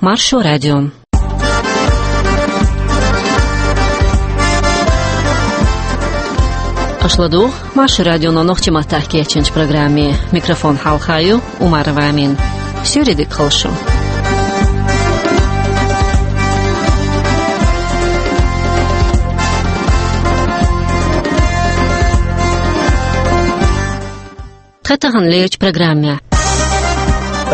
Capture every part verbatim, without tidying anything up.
Маршо радио. Аша ладугӀу Маршо радионо нохчийн маттахь кечйинчу программе. Микрофон хьалха ю Умарова Амина. Суьйре дика хуьлда шун. Тхан таханлерчу программехь.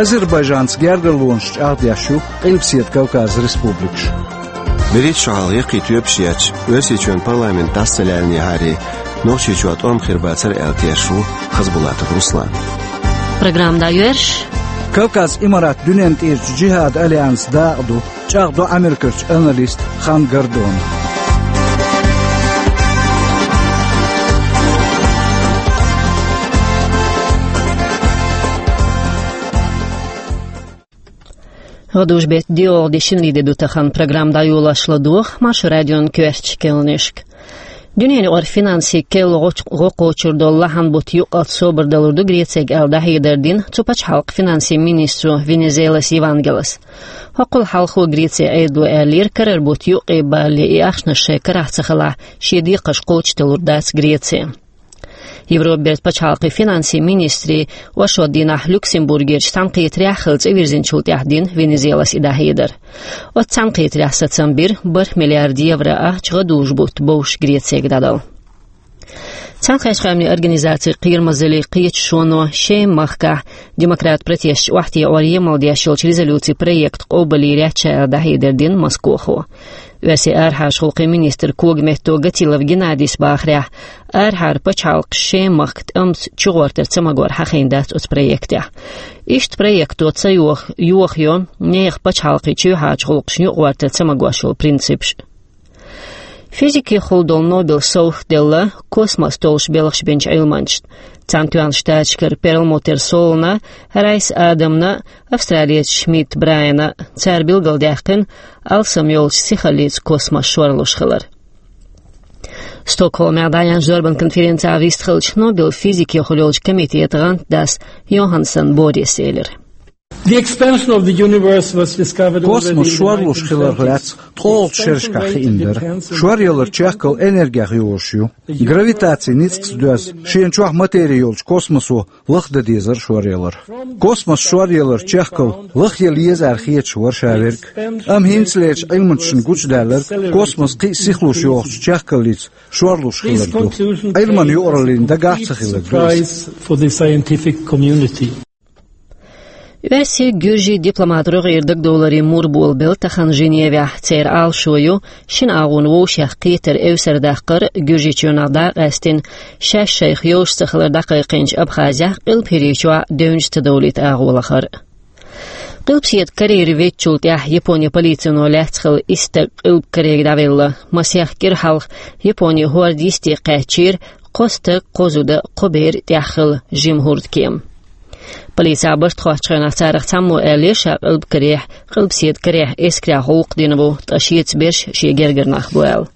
Азербайджанца гергарлонаш чӀагӀдеш ю Къилбаседа Кавказан республикаш. БерхӀитта шо хьалха яккхий тоьпаш етташ, Оьрсийчоьнан парламент дӀаса ца лаьллинехьара, Нохчийчохь тӀом хир бацара аьлла тешаш ву Хазбулатов Руслан. Программа дӀайоьрзуш. Кавказан Имарат дуьненна тӀерачу джихӀадан альянсан дакъа ду, чӀагӀдо Америкерчу аналиста Хан Гордона. ГӀадужу-беттан диалгӀа де шинарин де ду тахана, программа дӀайолош ладогӀа Маршо радион коьртачу кхаьънашка. Дуьненаюкъара финансийн керла гӀо-, гӀо кхочур долу лахьан бутт юккъалц собар далур ду Грецега аьлла дӀахьедар дина цу пачхьалкхан финансийн министро Венизелас Евангелос. ХӀоккхул хьалхо Грецин Ӏедало аьллера, карара бутт юккъе балале и ахчанаш шайн карахь ца хилахь, шен декхарш кхочушдалур дац Греци. Европан бертан пачхьалкхийн финансийн министрийн оршот дийнахь Люксембургерчу цхьаьнакхетарехь хилла цӀа вирзинчул тӀаьхьа дина Венизелас и дӀахьедар. Оцу цхьаьнакхетарехь сацам бира бархӀ миллиард евро ахча гӀадужу-бутт бовш Грецега дӀадала. Цхьаьнакхеттачу Къаьмнийн Организацин Кхерамазаллин кхеташоно Шема махкахь демократ протесташ охьатаӀорна емал деш йолчу резолюцин проект къобалйийр яц ша аьлла дӀахьедар дина Москохо. Оьрсийн арахьарчу гӀуллакхийн министр когаметта Гатилов Геннадийс бахарехь, арахьара пачхьалкхаш Шема махка тӀамца чугӀортар ца магор хьахийна дац оцу проектехь. Иштта проекто ца йох-, йохайо нехан пачхьалкхийн чоьхьарчу гӀуллакхашна юкъагӀортар ца магош йолу принципаш. Физикехула долу Нобелан совгӀат делла космос толлуш белхаш бинчу Ӏилманчашна. Цхьаьнатоьхначу Штаташкара Перлмутер Солана, Райс Адамна, австралиец Шмидт Брайана. Цара билгалдаьккхина алсам йолчу сихаллица космос шорлуш хилар. Стокгольмехь дӀаяьхьначу зорбан конференцехь вистхиллачу Нобелан физикехула йолчу комитетан гӀантдас Йоханссон Борис элира. The expansion of the universe was discovered already in the nineteen twenties. Космос шорлуш хиларх лаьцна ткъолгӀачу шерашкахь хиъна дара. Шоръялар чехкалла энергех йогӀуш ю. Гравитацин ницкъаца доьзна, шена чохь матери йолчу космосо лахдан дезара шоръялар. Космос шоръялар чехкалла лахъяла еза аьлла хеташ вара ша верг. Амма хӀинцалерчу Ӏилманчашна гучудаьлларг космос кхин а сихлуш йогӀучу чехкаллица шорлуш хилар ду. Ӏилманан юкъараллина дагахь а ца хилар ду иза. Оьрсийн, гуьржийн дипломатийн, рогӀера дагадовларийн мур болабелла тахана Женевехь. Церан Ӏалашо ю шина агӀонан вовшех кхетар эвсарадаккхар, Гуьржийчоьнах дӀакъаьстина шаьш шайх йовш ца хилар дӀакхайкхийначу Абхазехь, Къилба ХӀирийчохь девнаш ца довлийта агӀо лахар. Къилбаседа карийра веддачул тӀаьхьа Японин полицино лаьцна хилла исс стаг Къилба Корега дӀавелла. Масех кӀира хьалха Японин хӀорда йисте кхаьчнера кхо стаг, кхо зуда, кхо бер, тӀехь хилла жима хӀурдкема. Полицехь барт хоттучу хенахь царах цхьаммо аьллера ша Къилба Корехь, Къилбаседа Корехь эскарехь гӀуллакх дина ву, ткъа шеца берш шен гергара нах бу аьлла.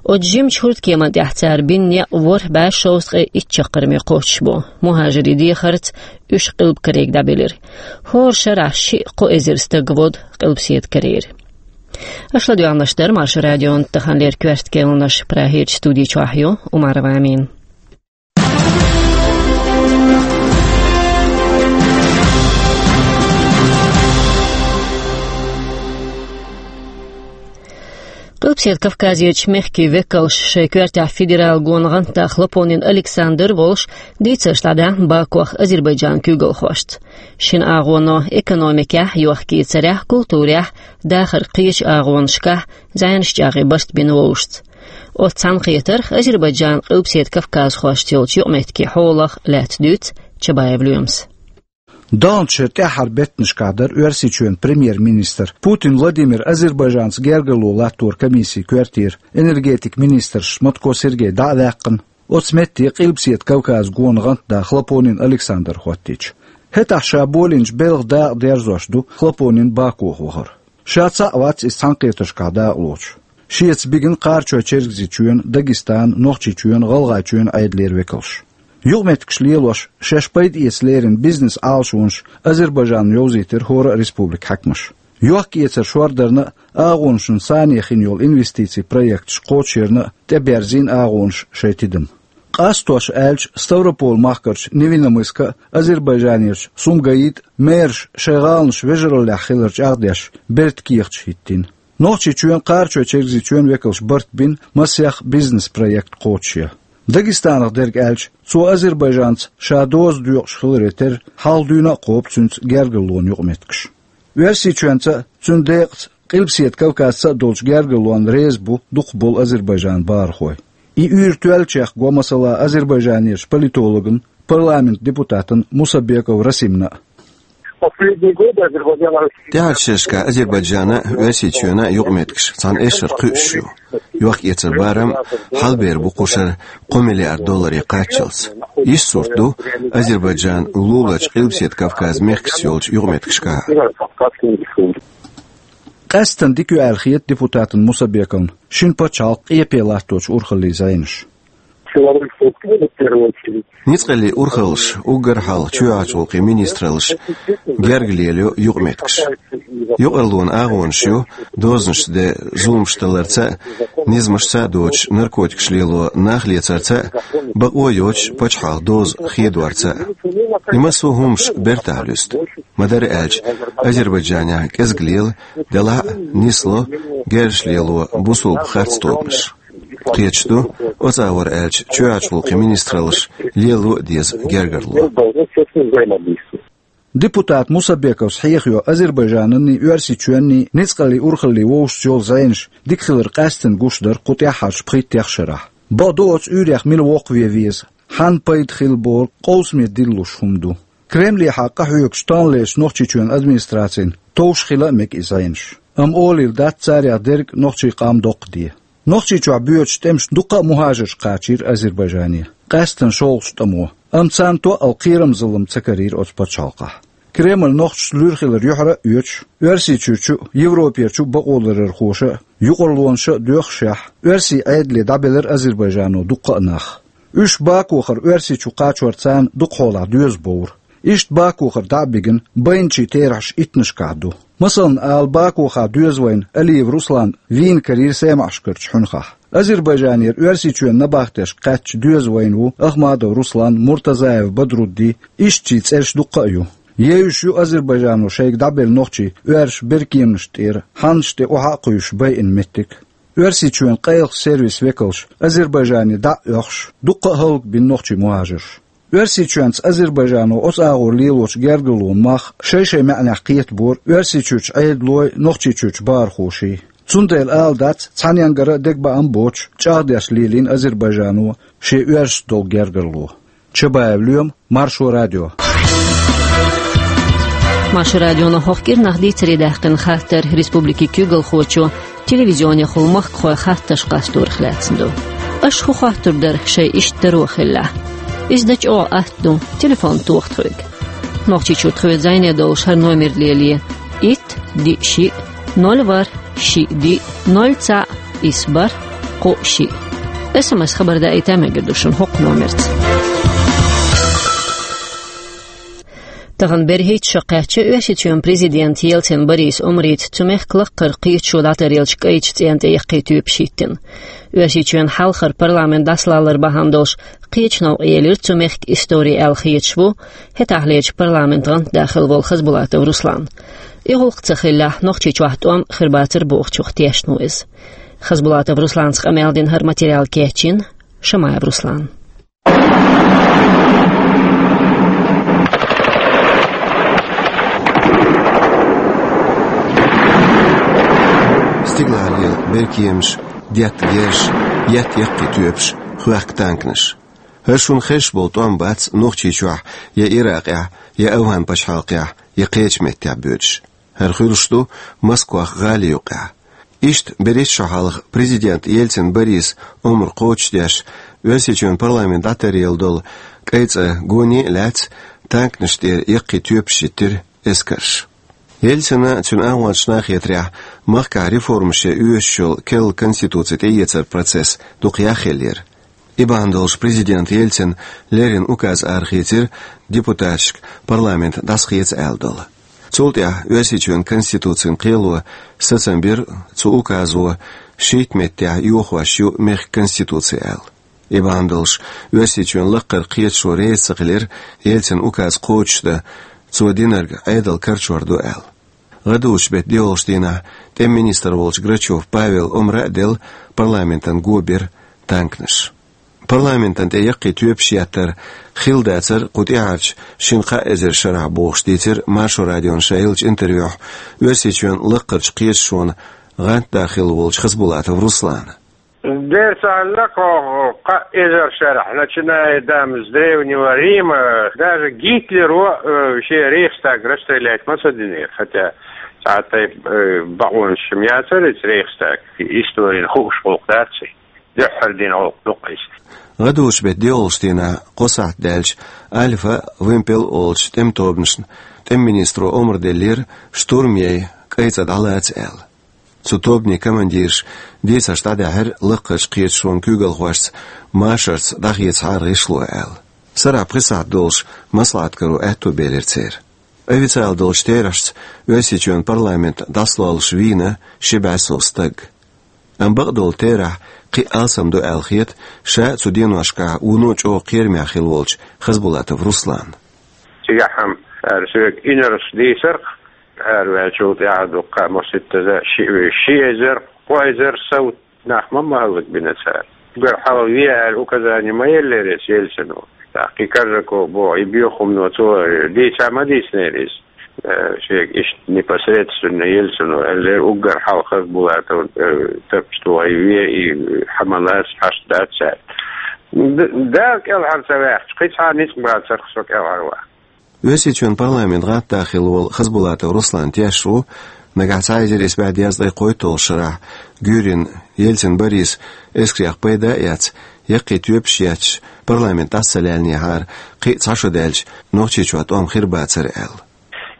Оцу жимачу хӀурдкеман тӀехь цара бина некъ ворхӀ бӀе шовзткъе итт чаккхарме кхоччуш бу. МухӀажирийн дехарца уьш Къилба Корега дӀабелира. ХӀора шарахь шиъ-кхо эзар стаг воду Къилбаседа Корера. Аша ладоьгӀнарш дара Маршо радион таханлера коьрта кхаьънаш. Прагерчу студи чохь ю Умарова Амина. Къилбаседа Кавказерчу мехкийн векалш шайн коьртехь федералан гонан гӀантда Хлопонин Александр волуш дийцарш дӀадаьхна Бакох Азербайджанан куьйгалхошца. Шина агӀоно экономикехь, йохк-эцарехь, культурехь, дахаран кхечу агӀонашкахь зӀенаш чӀагӀъе барт бина вовшашца. Оцу цхьаьнакхетарх, Азербайджанан, Къилбаседа Кавказхошца йолчу юкъаметтигийн хьолах лаьцна дуьйцу Чабаев Лоьмас. Далначу шеран тӀаьххьара беттанашкахь дара Оьрсийчоьнан премьер-министр Путин Владимир Азербайджанца гергарло латторан комиссин коьртера энергетикан министраш Матко Сергей дӀа а ваьккхина, оцу метте Къилбаседа Кавказан гонан гӀантда Хлопонин Александр хӀоттийча. ХӀетахь ша болийначу белхан дакъа дерзош ду Хлопонин Бакох вахар. Ша цхьаъ вац иза цхьаьнакхетаршкахь дакъалоцуш. Шеца бигина Кхарачой-Чергазийчоьнан, Дагестанан, Нохчийчоьнан, ГӀалгӀайчоьнан Ӏедалера векалш. Юкъаметтигаш лелош, шаьш пайда эца леррина бизнес-Ӏалашонаш Азербайджано йовзийтира хӀора а республикан хьаькамаша. Йохк-эцар шордарна а, агӀонашна санна хинна йолу инвестицийн проекташ кхочушъярна а тӀеберзийна агӀонаш шайн тидам. Къастош аьлча, Ставрополь-Махкарчу Невинномысска а, Азербайджанерчу Сумгаита а мераша шайн гӀаланаш вежараллехь хилар чӀагӀдеш берта кехаташ хӀиттийна. Нохчийчоьнан, Кхарачой-Чергазийчоьнан векалша барт бина массех бизнес-проект кхочушъян. Дагестанах дерг аьлча, цо Азербайджанца ша доза доькъуш хиларе терра, хьалха дуьйна а кхобу цуьнца гергарлонан юкъаметтигаш. Оьрсийчоьнца а, цуьнан декъаза Къилбаседа Кавказца а долчу гергарлонна реза бу дукхахболу Азербайджанан бахархой. И уьйр тоьллачех го, масала, Азербайджанерчу политологна, парламентан депутатна Мусабеков Расимна а. Последние годы Азербайджан... ТӀаьхьарчу шерашкахь Азербайджанан а, Оьрсийчоьнан а юкъаметтигаш цхьана эшшара кхуьуш ю. Йохк-эцар барам хьалабер бу кху шарахь кхо миллиард долларе кхаччалц. Иштта сурт ду Азербайджан луларчу Къилбаседа Кавказан мехкашца йолчу юкъаметтигашкахь а. Къаьсттина дика ю аьлла хета депутатна Мусабековна шина пачхьалкх къепе латточу урхаллийн зӀенаш. Силовые структуры, в первую очередь. Ницкъаллийн урхаллаш, уггар хьалха чоьхьарчу гӀуллакхийн министраллаш герга лелайо юкъаметтигаш. Юкъарлонан агӀонаш ю дозанаш де зуламаш даларца а, низамашца а доцуш наркотикаш лело нах лецарца а, бакъо йоцуш пачхьалкхан доза хедорца а. И массо а хӀуманаш бертахь луьсту. Ма-дарра аьлча, Азербайджанехь кӀезиг лела, делахь а нисло герзаш лело бусалба харц тобанаш. Кхеташ ду, оцу агӀор аьлча, чоьхьарчу гӀуллакхийн министраллаш лело а деза гергарло. Депутат Мусабековс хьехайо Азербайджананний, Оьрсийчоьнний ницкъаллийн урхаллин вовшашца йолу зӀенаш дика хилар къаьсттина гуш дар кху тӀаьххьарчу пхийттех шарахь. Бакъду, оцу уьйрех мила воккхаве веза, хьанна пайда хила бохург къовсаме диллуш хӀума ду. Кремлехьа къахьоьгуш тонналлерчу Нохчийчоьнан администрацина товш хила а мега и зӀенаш. Амма олийла дац царех дерг нохчийн къам доккхаде. Нохчийчохь боьдучу тӀемаша дуккха а мухӀажарш кхачийра Азербайджане, къаьсттина шолгӀачу тӀамо. Амма царна тоъал кхерамзаллам ца карийра оцу пачхьалкхехь. Кремль нохчашца луьра хилар юьхьара а оьцуш, Оьрсийчуьрчу а, Европерчу а бакъоларъярхоша а юкъарлонаша а доьхушехь, оьрсийн Ӏедале дӀабелира Азербайджано дуккха а нах. Уьш Бакухара Оьрсийчу кхачор царна дукха хьолахь доьза бовра. Иштта Бакухара дӀа а бигина, байначийн терахьаш иттанашкахь ду. Масална ала, Бакуха доьза вайна Алиев Руслан вийна карийра СаьмаӀашкарчу хьуьнхахь. Азербайджанера Оьрсийчоьнан набахтешка кхаьчча доьза вайна ву Ахмадов Руслан, Муртазаев Бадрудди, ишттачийн цӀераш дуккха а ю. Евзаш ю Азербайджано шайга дӀабелла нохчий оьрсаша беркеманашна тӀера, хьаннашна тӀе охьа а кхуьйсуш байина меттиг. Оьрсийчоьнан къайлахчу сервисан векалш Азербайджане дӀа а оьхуш, дуккха а хӀаллакбина нохчийн мухӀажарш. Оьрсийчоьнца Азербайджано оцу агӀор лелочу гергарлонан мах шай-шайн маьӀнехь кхетабора Оьрсийчуьрчу Ӏедалой, Нохчийчуьрчу бахархоший. Цундела ала дац, цхьаненгара а дегабаам боцуш, чӀагӀдеш лелийна Азербайджано шен оьрсашца долу гергарло. Чабаев Лоьма, Маршо радио. Маршо радионо хӀокху кӀирнах дийцаре даьккхина хаттар республикин куьйгалхочо телевизионехула махкахой хаттарш къасторах лаьцна ду. Аша хӀун хоттур дара, шайн иштта таро хиллехь? Иза дан чӀогӀа атта ду, телефон тоха тхоьга. Нохчийчуьра тхоьца зӀене долуш хӀара номер лелае: итт, диъ, шиъ, ноль, ворхӀ, шиъ, диъ, ноль, цхьаъ, исс, бархӀ, кхоъ, шиъ. СМС хабар даийта мегар ду шуна хӀокху номерца. Тахана берхӀитта шо кхаьчча, Оьрсийчоьнан президента Ельцин Борисан омрица цу мехкан лакхара кхеташо дӀатаръеллачу кӀайчу цӀенна тӀе яккхий тоьпаш хӀиттина. Оьрсийчоьнан хьалхара парламент дӀасалалар бахьана долуш кхечу новкъа елира цу мехкан истори аьлла хеташ ву хӀетахьлерчу парламентан гӀантда хилла волу Хасбулатов Руслан. И гӀуллакх ца хиллехь, Нохчийчохь тӀом хир бацара бохучух тешна ву иза. Хасбулатов Русланца къамел дина хӀара материал кечйина Шамаев Руслана. Стигалахь лела беркеманаш, детта герзаш, етта яккхий тоьпаш, хоьхку танканаш. ХӀара шуна хезаш болу тӀом бац Нохчийчохь, я Иракъехь, я АвгӀан пачхьалкхехь, я кхечу меттехь боьдуш. ХӀара хуьлуш ду Москвах гӀали юккъехь. Иштта берхӀитта шо хьалха президент Ельцин Борисан омра кхочушдеш, Оьрсийчоьнан парламент дӀатаръелла долу кӀайн цӀа гоне а лаьцна, танканаш тӀера яккхий тоьпаш хӀиттира эскарша. Ельцина а, цуьнан агӀончашна а хетарехь, махкахь реформаш ян оьшуш йолу керла конституци тӀеэцаран процесс дукха яхъеллера. И бахьана долуш президент Ельцина леррина указ арахецира депутаташка парламент дӀасахеца аьлла долу. Цул тӀаьхьа Оьрсийчоьнан Конституцин кхело сацам бира, цу указо шийтта меттехь йохош ю мехкан Конституци аьлла. И бахьана долуш, Оьрсийчоьнан лаккхара кхеташо реза ца хилира Ельцин указ кхочушдан, цо динарг Ӏедал карчор ду аьлла. ГӀадужу беттан доьалгӀачу дийнахь тӀеман министр волчу Грачев Павела омра а делла, парламентана го бира танканаш. Парламентана тӀе яккхий тоьпаш еттар хилла дацара кху тӀаьхьарчу шина-кхаа эзар шарахь бохуш дийцира Маршо радиона ша еллачу интервьюхь Оьрсийчоьнан лаккхарчу кхеташонан гӀантда хилла волчу Хасбулатов Руслана. Дера ца хилла кху кхаа эзар шарахь, начиная там с Древнего Рима, даже Гитлеро, э, шен Рейхстаг расстрелять ма ца динера, хотя цхьа тайпа, э, бакъонаш-м яцара иза Рейхстаг, историна хууш гӀуллакх дац и. Дуьххьара дина гӀуллакх ду-кх иза. ГӀадужу беттан доьалгӀачу дийнахь кхо сахьт даьлча, Альфа, Вымпел олучу тӀеман тобанашна тӀеман министро омра деллера, штурм яй, кӀайн цӀа дӀалаца аьлла. Цу тобанийн командираша дийцарш дӀадаьхьира лаккхарчу кхеташонан куьйгалхошца машарца дӀахецахьара гӀишло аьлла. Сарахь пхи сахьт долуш маслаӀат каро аьтто белира церан. Официалан долчу терахьашца Оьрсийчоьнан парламент дӀасалоллуш вийна ши бӀе сов стаг. Амма бакъдолу терахь кхин а алсам ду аьлла хета ша а цу деношкахь вуно чӀогӀа кхерамехь хилла волчу Хасбулатов Руслана. Цигахь-м ара соьга инарш дийцарх, араваьллачул тӀаьхьа дуккха а маситтаза ши, ши эзар, кхо эзар сов нах ма ма хӀаллакбина цара. Уггар хьалха ве аьлла указани ма еллера иза Ельцино. ТӀаккха и Коржаков боху, и боьха хӀумано цо дийца ма дийцинера иза. Э, шега иштта непосредственно Ельцино аьллера, уггар хьалха Хасбулатов, э, тапча тухий ве, и хьан ма лаца, хьашт дац цара. Д-, Дала кӀелхьара ца ваьккхича, кхин цхьа ницкъ бацарх со кӀелхьарван. Оьрсийчоьнан парламентан гӀантда хилла волу Хасбулатов Руслан тешна ву, нагахь цхьа эзар исс бӀе дезткъе кхойтталгӀачу шарахь Гюрин, Ельцин Борис эскарех пайда а эцна, яккхий тоьпаш етташ, парламент дӀаса ца лаьллинехьара, кхин а цхьа шо даьлча, Нохчийчохь тӀом хир бацара аьлла.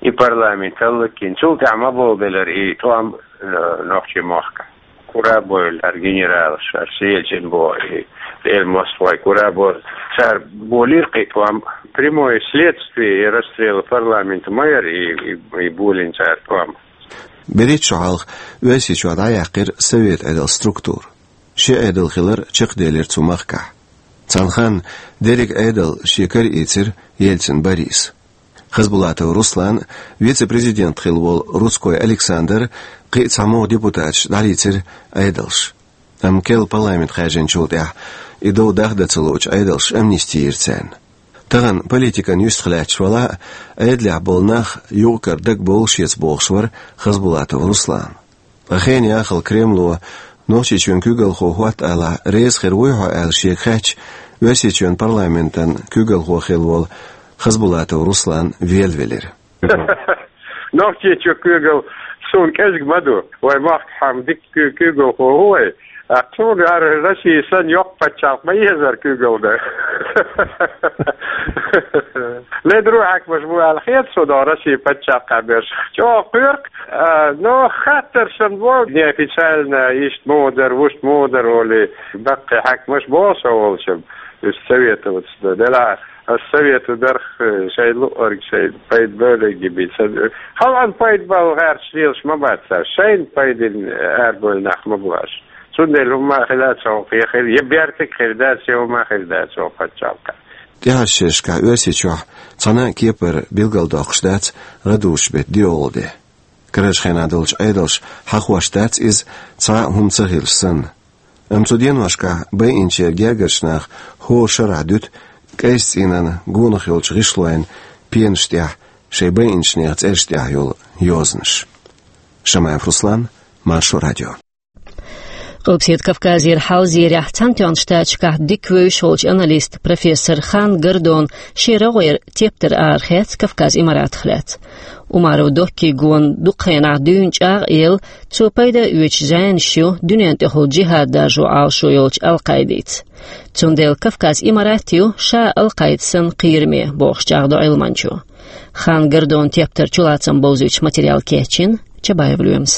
И парламент хӀаллакйина, цул тӀаьхьа ма болабелира и тӀом, э, нохчийн махкахь. Курабойла, ара генералаш, ара Сельчин боху, и Эль Москвой Курабойла. Цара болийра кхин а тӀом, прямое следствие и расстрела парламента ма яра и, и, и болийна цара тӀом. БерхӀитта шо хьалха Оьрсийчохь дӀаяьккхира Совет Ӏедалан структура. Ши Ӏедал хилар чекхделира цу махкахь. Цхьана ханна дерриг Ӏедал шен кара ийцира Ельцин Бориса. Хасбулатов Руслан, вице-президент хилла волу Рудской Александр, кхин а цхьа могӀа депутаташ дӀалийцира Ӏедалша. Амма керла парламент хаьржинчул тӀаьхьа и дов дахдан ца луучу Ӏедалша амнисти йира царна. Тахана политикан юьстах лаьтташ валахь а, Ӏедалехь болу нах юкъ-кара дагабовла шеца бохуш вара Хасбулатов Руслан. Ткъа хенан яххал Кремло, Нохчийчоьнан куьйгалхо хӀотта алахь, реза хир вуй хьо аьлла шега хаьттича, Оьрсийчоьнан парламентан куьйгалхо хилла волу Хасбулатов Руслан велавелира. Нохчийчоь куьйгалла суна кӀезиг ма ду. Вай махкахь-м дика куь-, куьйгалхо ву вай. ТӀаккха суна ара Россия санна йоккха пачхьалкх ма езара куьйгалла дан. Ледара хьаькамаш бу аьлла хета суна Россия пачхьалкхехь берш. ЧӀогӀа кхоьру-кх, а, но хаттар санна бу, неофициально, иштта муха дара, вуьшта муха дара олий, баккхий хьаькамаш боху со волчу, уьш советоваться дан. Делахь ас советовать дарх, э, шайн луъург шайн пайда бевлларг бен ца. Халкъана пайда бала гӀерташ лелаш ма бац цара, шайна пайдина арабевлла нах ма бу уьш. Цундела хӀумма а хила дац оха кхехира, я бертиг хир дац, я хӀумма а хир дац оха пачхьалкхехь. ТӀаьхьарчу шерашкахь Оьрсийчохь цхьана а кепара билгалдоккхуш дац гӀадужу беттан доьалгӀа де. Карарчу хенахь долчу Ӏедалша хьахош дац иза, цхьа а хӀума ца хилча санна. Амма цу деношкахь байинчеран гергарчу наха хӀора шарахь дуьту кӀайчу цӀийнан гонах йолчу гӀишлойн пенаш тӀехь шайн байинчу нехан цӀераш тӀехь йолу йозанаш. Шамаев Руслан, Маршо радио. Къилбаседа Кавказера хьал зерехь, Цхьаьнатоьхначу Штаташкахь дика вевзаш волчу аналиста, профессора Хан Гордона шен рогӀера тептар арахецна Кавказ Имаратах лаьцна. Умаров Доккин гонан дукха хенахь дуьйна чӀагӀ а елла, цо пайда а оьцуш зӀенаш ю дуьненна тӀехула джихӀад даржо Ӏалашо йолчу Ал-Къаидица. Цундела Кавказ Имарат ю ша Ал-Къаида санна кхераме, бохуш чӀагӀдо Ӏилманчо. Хан Гордона тептар чулацам бовзуьйтуш материал кечйина Чабаев Лоьмас.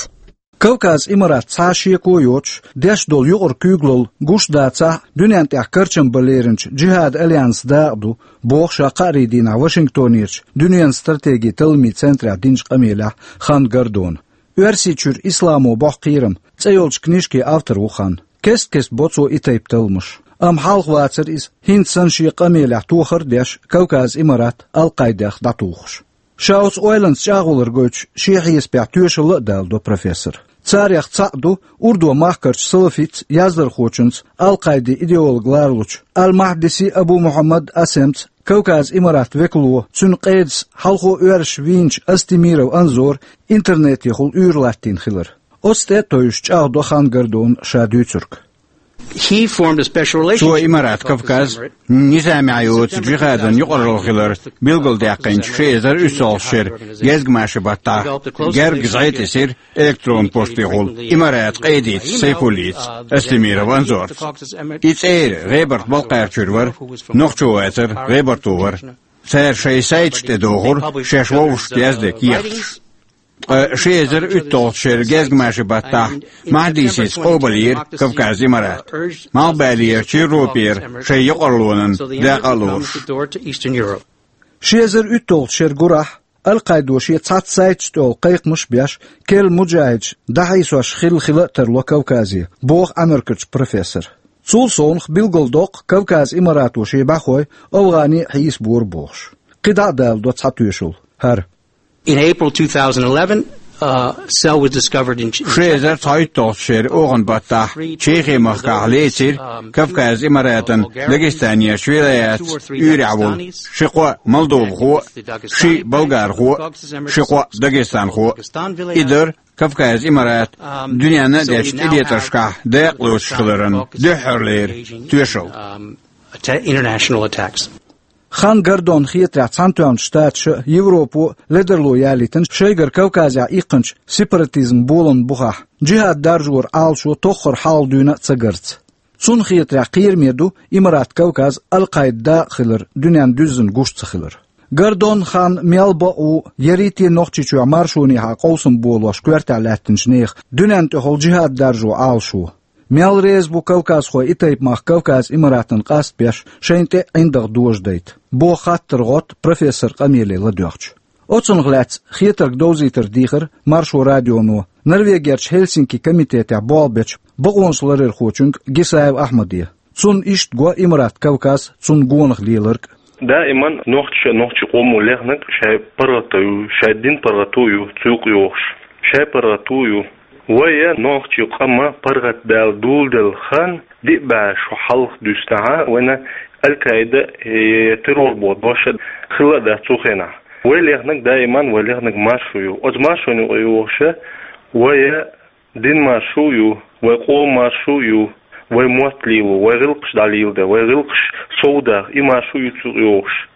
Кавказ Имарат цхьа шеко йоцуш, деш долу юкъара куьйгалла гуш дацахь, дуьнен тӀехь карчам бан леринчу Джихад Альянс дакъа ду, боху ша кхаарин дийнахь Вашингтонерчу дуьненан стратегин талламийн центрехь динчу къамелехь Хан Гордона. «Оьрсийчуьра исламо боху кхерам» цӀе йолчу книжкин автор ву Хан. Кест-кеста бо цо и тайпа талламаш. Амма хьалха вацара иза, хӀинца санна шен къамелехь тохар а деш, Кавказ Имарат Ал-Къаидех дӀатухуш. Ша оцу ойланца чӀагӀвалар гойтуш, шен хьесапехь тоьшалла а даладо профессор. Царех цхьаъ ду урдо махкарчу салафитца, яздархочунца, Ал-Къаидин идеолог лоруш волчу Ал-Махьдиси Абу Мухьаммад Асемца, Кавказ Имарат векало, цуьнан къедас хьалхо оьрсаша вийначу Астемиров Анзора интернетехула уьйр латтийна хилар. Оцу тӀе а тевжаш, чӀагӀдо Хан Гордона ша дуьйцург. He formed a special relationship Цо Имарат Кавказ низамехь йоцу джихадан юкъаралла хилар билгалдаьккхинчу ши эзар уьссалгӀачу шеран гезгмашин баттахь герга зӀе тесира электронан поштехула Имарат къедица Сайфуллица, Астемиров Анзорца. И цӀера ГӀебарта-Балкхарчуьра вара, нохчо вацара, ГӀебарто вара. Цара шайн сайташ тӀе дохура шаьш вовшашка яздерг кехаташ. Ткъа ши эзар уьтталгӀачу шеран гезгмашин баттахь Махьдисица къобалйира Кавказ Имарат. Малхбалерчу Европера шайн юкъараллонан дакъа а лоруш. Ши эзар уьтталгӀачу шеран гурахь Ал-Къаидо шен цхьацца сайташ тӀехула кхайкхамаш а беш, керла муджахьидаш дӀахьийсош хилла хила а тарло Кавказе, боху Ӏамеркарчу профессора. Цул совнаха билгалдоккху Кавказ Имарато шен бӀаьхой АфгӀане а хьийсабора бохуш. КхидӀа а даладо цхьа тоьшалла. ХӀара. In April two thousand eleven, uh, cell was discovered in Ши эзар цхьайтталгӀачу шеран охан баттахь Чехи-махкахь лецира Кавказ Имаратан Дагестанерчу вилаятца уьйрехь волу ши-кхоъ молдовхо а, ши болгархо а, ши-кхоъ дагестанхо а. И дара Кавказ Имарат дуьненна а дечу тӀелетаршкахь дакъа лоцуш хиларан дуьххьарлера тоьшалла. Um, atta-, international attacks. Хан Гордонна хетарехь, Цхьаьнатоьхначу Штаташа а, Европо а ледарло ялийтина шайгара Кавказехь иккхинчу сепаратизман боланна бухахь, джихад даржоран Ӏалашо тоххара хьалха дуьйна а ца гарца. Цунна хетарехь, кхераме ду Имарат Кавказ Ал-Къаидан дакъа хилар дуьненна дуьззина гуш ца хилар. Гордон Хан мел бакъ ву, ярийте Нохчийчохь маршонехьа къовсам болош коьртехь лаьттинчу нехан дуьненна тӀехула джихад даржо Ӏалашо. Мел реза бу кавказхой и тайпа мах Кавказ Имаратана къастабеш, шайна тӀе а ӀиндагӀ дожадайта, боху хаттар гӀотта профессор къамеле ладоьгӀча. Оцунах лаьцна хетарг довзийтар дийхира Маршо радионо Норвегерчу Хельсинки комитетехь болх бечу бакъонаш ларъярхочуьнга Гисаев Ахьмаде. Цунна иштта го Имарат Кавказ, цунна гонах леларг а. Даиман нохчаша, нохчийн къомо лехнарг шайн паргӀато ю, шайн динан паргӀато ю, цу юкъа йогӀуш. Шайн паргӀато ю. Вай, нохчийн къам, паргӀатдаьлла, доладелла хан, диъ бӀе шу хьалха дуьстахьа, вайна Аль-Каида, э, террор боху дош а хилла а дац цу хенахь. Вай лехнарг даиман, вай лехнарг маршо ю. Оцу маршонна юкъа йогӀуша вай динан маршо ю, вай къоман маршо ю, вай мотт лело, вай гӀиллакхаш дӀалеладе, вай гӀиллакхаш совдаха, и маршо ю цу юкъа йогӀуш.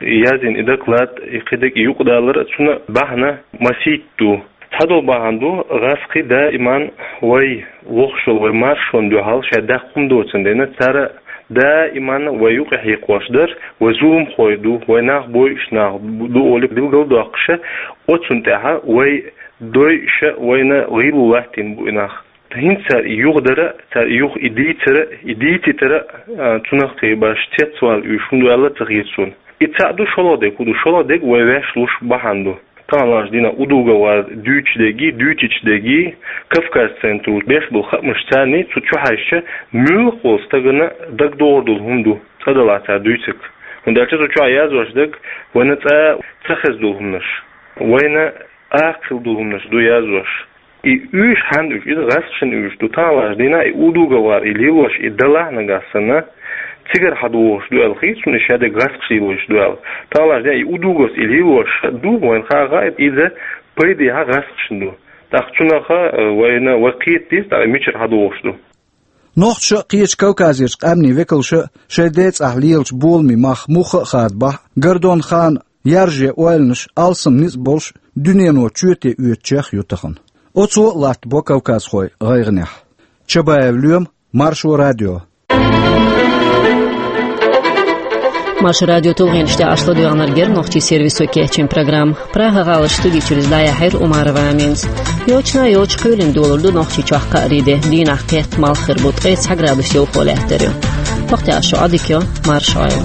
Яздина и доклад, и кхидерг, и юкъадалар а цунна бахьана масийтта ду. Цхьадолу бахьана ду, гӀазкхий даиман вай вохуш волу вай маршонна дуьхьал шайн даккха хӀума доцун дена, цара даиман вай юкъа хьекхош дара, вай зуламхой ду, вай нах бойуш нах ду олий билгалдоккхуша, оцунна тӀаьхьа вай дойуша, вайна гӀийла латтийна бу и нах. ХӀинца цара и юхадара, цара и юха и дийцара, и дийцитара, а, цунах кхин баш цецвала уьш хӀунда аьлла ца хета суна. И цхьаъ ду, шолгӀа дерг хӀун ду? ШолгӀа дерг вай ваьш луш бахьана ду. Тахана лаьцна дина удугавар дуьйцуш дерги, дуьйцуьйтуш дерги, Кавказ центру беш болу хаамаш царний цу чу хьаьжча, муьлхха волу стагана дагадогӀур долу хӀума ду, цкъа делахь цара дуьйцург. ХӀунда аьлча цу чохь яздеш дерг вайна цкъа ца хезна долу хӀуманаш, вайна акха хилла долу хӀуманаш ду яздеш. И уьш хьанна уьш, иза гӀазкхашна уьш ду. Тахана лаьцна дина и удугавар, и лелош, и далахь нагахь санна, цигара хьадогӀуш ду аьлла хета суна, и шадерг гӀазкхаша лелош ду аьлла. Тахана лаьцна дина и удугавс и лелош ду, вайна хаа хаьа, иза пайдехьа гӀазкхашна ду. ТӀаккха цунаха, э, вайна, вай кхета деза, тӀаккха мичара хьадогӀуш ду. Нохчаша а, кхечу Кавказерчу къаьмнийн векалша а шайн ден цӀахь лелачу боламийн мах мухха а хадабахь, Гордон Хана яржен ойланаш алсам ницкъ болуш, дуьнено чоьте оьцучех ю тахана. Оцо а латтабо кавказхой гӀайгӀанехь. Чабаев Лоьма, Маршо радио. Маршо радион тулгӀенаш тӀехь аш ладоьгӀнарг яра нохчийн сервисо кечйина программа. Прага-гӀаларчу студи чуьра иза дӀаяьхьира Умарова Аминас. Йочана йоча кхуьлина долур ду Нохчийчохь кхаарин де. Дийнахь кхетта малх хир бу, ткъе цхьа градус йовхо лаьттар ю. Бакъдерг шу Ӏадика йо, марша Ӏойла.